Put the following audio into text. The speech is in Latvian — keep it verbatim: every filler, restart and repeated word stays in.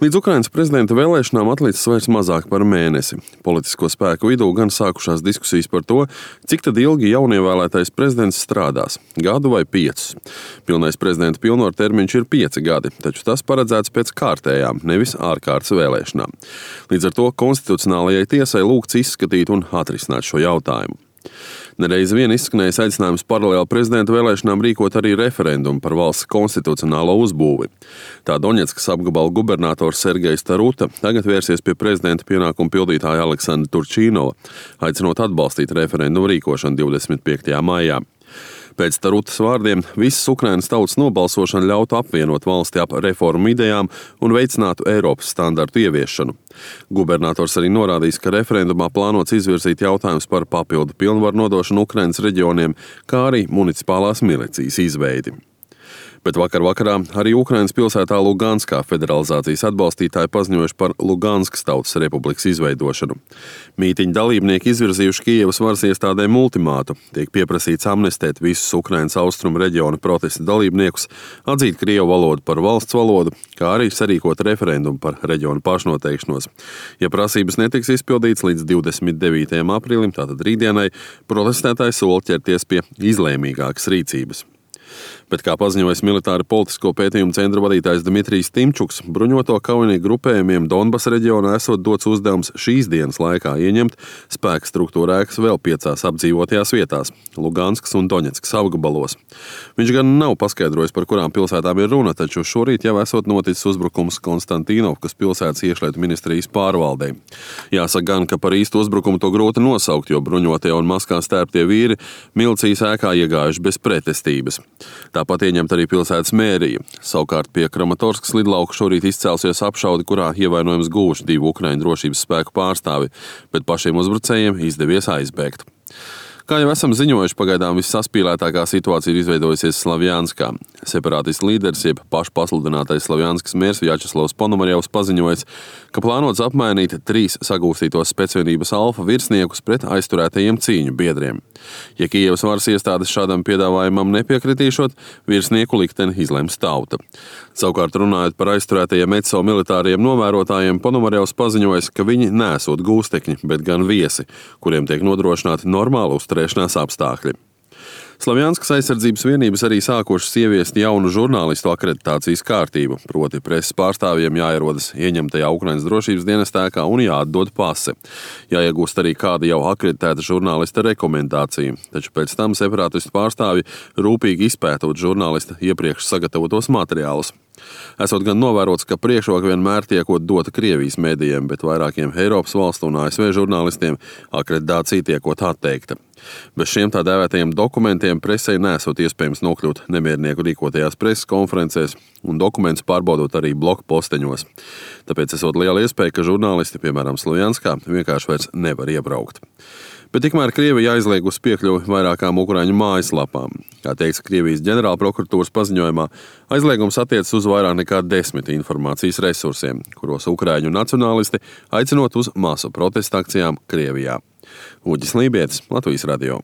Līdz Ukrainas prezidenta vēlēšanām atlicis vairs mazāk par mēnesi. Politisko spēku vidū gan sākušās diskusijas par to, cik tad ilgi jaunievēlētais prezidents strādās – gadu vai piecus. Pilnais prezidenta pilnvaru termiņš ir pieci gadi, taču tas paredzēts pēc kārtējām, nevis ārkārtas vēlēšanām. Līdz ar to konstitucionālajai tiesai lūgts izskatīt un atrisināt šo jautājumu. Nereiz vien izskanējis aicinājums paralēli prezidenta vēlēšanām rīkot arī referendumu par valsts konstitucionālo uzbūvi. Tā Doņetskas apgabala gubernators Sergejs Taruta tagad vērsies pie prezidenta pienākumu pildītāja Aleksandra Turčīnova, aicinot atbalstīt referendumu rīkošanu divdesmit piektajā maijā. Pēc Tarutas vārdiem visas Ukrainas tautas nobalsošana ļautu apvienot valsti ap reformu idejām un veicinātu Eiropas standartu ieviešanu. Gubernators arī norādījis, ka referendumā plānots izvirzīt jautājums par papildu pilnvaru nodošanu Ukrainas reģioniem, kā arī municipālās milicijas izveidi. Bet vakar vakarā arī Ukrainas pilsētā Luganskā federalizācijas atbalstītāji paziņojuši par Luganskas tautas republikas izveidošanu. Mītiņa dalībnieki izvirzījuši Kijevas varas iestādēm ultimātu. Tiek pieprasīts amnestēt visus Ukrainas austrumu reģiona protesta dalībniekus, atzīt krievu valodu par valsts valodu, kā arī sarīkot referendumu par reģionu pašnoteikšanos. Ja prasības netiks izpildīts līdz divdesmit devītajam aprīlim, tātad rītdienai, protestētāji sola ķerties pie izlēmīgākas rīcības. Bet, kā paziņojas militāra politisko pētījumu centra vadītājs Dmitrijs Timčuks, bruņoto kaujinieku grupējumiem Donbas reģionā esot dots uzdevums šīs dienas laikā ieņemt spēka struktūra ēkas vēl piecās apdzīvotajās vietās – Luganskas un Doņetskas apgabalos. Viņš gan nav paskaidrojis, par kurām pilsētām ir runa, taču šorīt jau esot noticis uzbrukums Konstantīnovkas pilsētas iekšlietu ministrijas pārvaldei. Jāsaka gan, ka par īstu uzbrukumu to grūti nosaukt, jo bruņotie un maskā stērptie vīri milicijas ēkā iegājuši bez pretestības. Tāpat ieņemt arī pilsētas mērija. Savukārt pie Kramatorskas lidlauka šorīt izcēlusies apšaudi, kurā ievainojums guvuši divu Ukraiņu drošības spēku pārstāvi, bet pašiem uzbrucējiem izdevies aizbēgt. Kā jau esam ziņojuši, pagaidām vissaspīlētākā situācija ir izveidojusies Slavjanskā. Separātistu līderis, jeb pašpasludinātais Slavjanskas mērs Vjačeslavs Ponomarjevs paziņojis, ka plānots apmainīt trīs sagūstītos specvienības alfa virsniekus pret aizturētajiem cīņu biedriem. Ja Kijevas varas iestādes šādam piedāvājumam nepiekritīšot, virsnieku likteni izlems tauta. Savukārt runājot par aizturētajiem E C O militāriem novērotājiem, Ponomarjevs paziņojis, ka viņi neesot gūstekņi, bet gan viesi, kuriem tiek nodrošināti normāli uzturēšanās apstākļi. Slavjanskas aizsardzības vienības arī sākušas ieviest jaunu žurnālistu akreditācijas kārtību, proti preses pārstāvjiem jāierodas ieņemtajā Ukrainas drošības dienesta ēkā un jāatdod pase. Jāiegūst arī kāda jau akreditēta žurnālista rekomendācija, taču pēc tam separātistu pārstāvji rūpīgi izpētot žurnālista iepriekš sagatavotos materiālus. Esot gan novērots, ka priekšroka vienmēr tiekot dota Krievijas medijiem, bet vairākiem Eiropas valstu un A S V žurnālistiem akreditācija tiekot atteikta. Bez šiem tā dēvētajiem dokumentiem presei nesot iespējams nokļūt nemiernieku rīkotajās preses konferencēs un dokumentus pārbaudot arī bloku posteņos. Tāpēc esot liela iespēja, ka žurnālisti, piemēram Slavjanskā, vienkārši vairs nevar iebraukt. Bet tikmēr Krievija aizliegus piekļuvi vairākām ukraiņu mājaslapām. Kā teiks Krievijas ģenerālprokuratūras paziņojumā, aizliegums attiecas uz vairāk nekā desmit informācijas resursiem, kuros ukraiņu nacionālisti aicinot uz masu protesta akcijām Krievijā. Uģis Lībietis, Latvijas radio.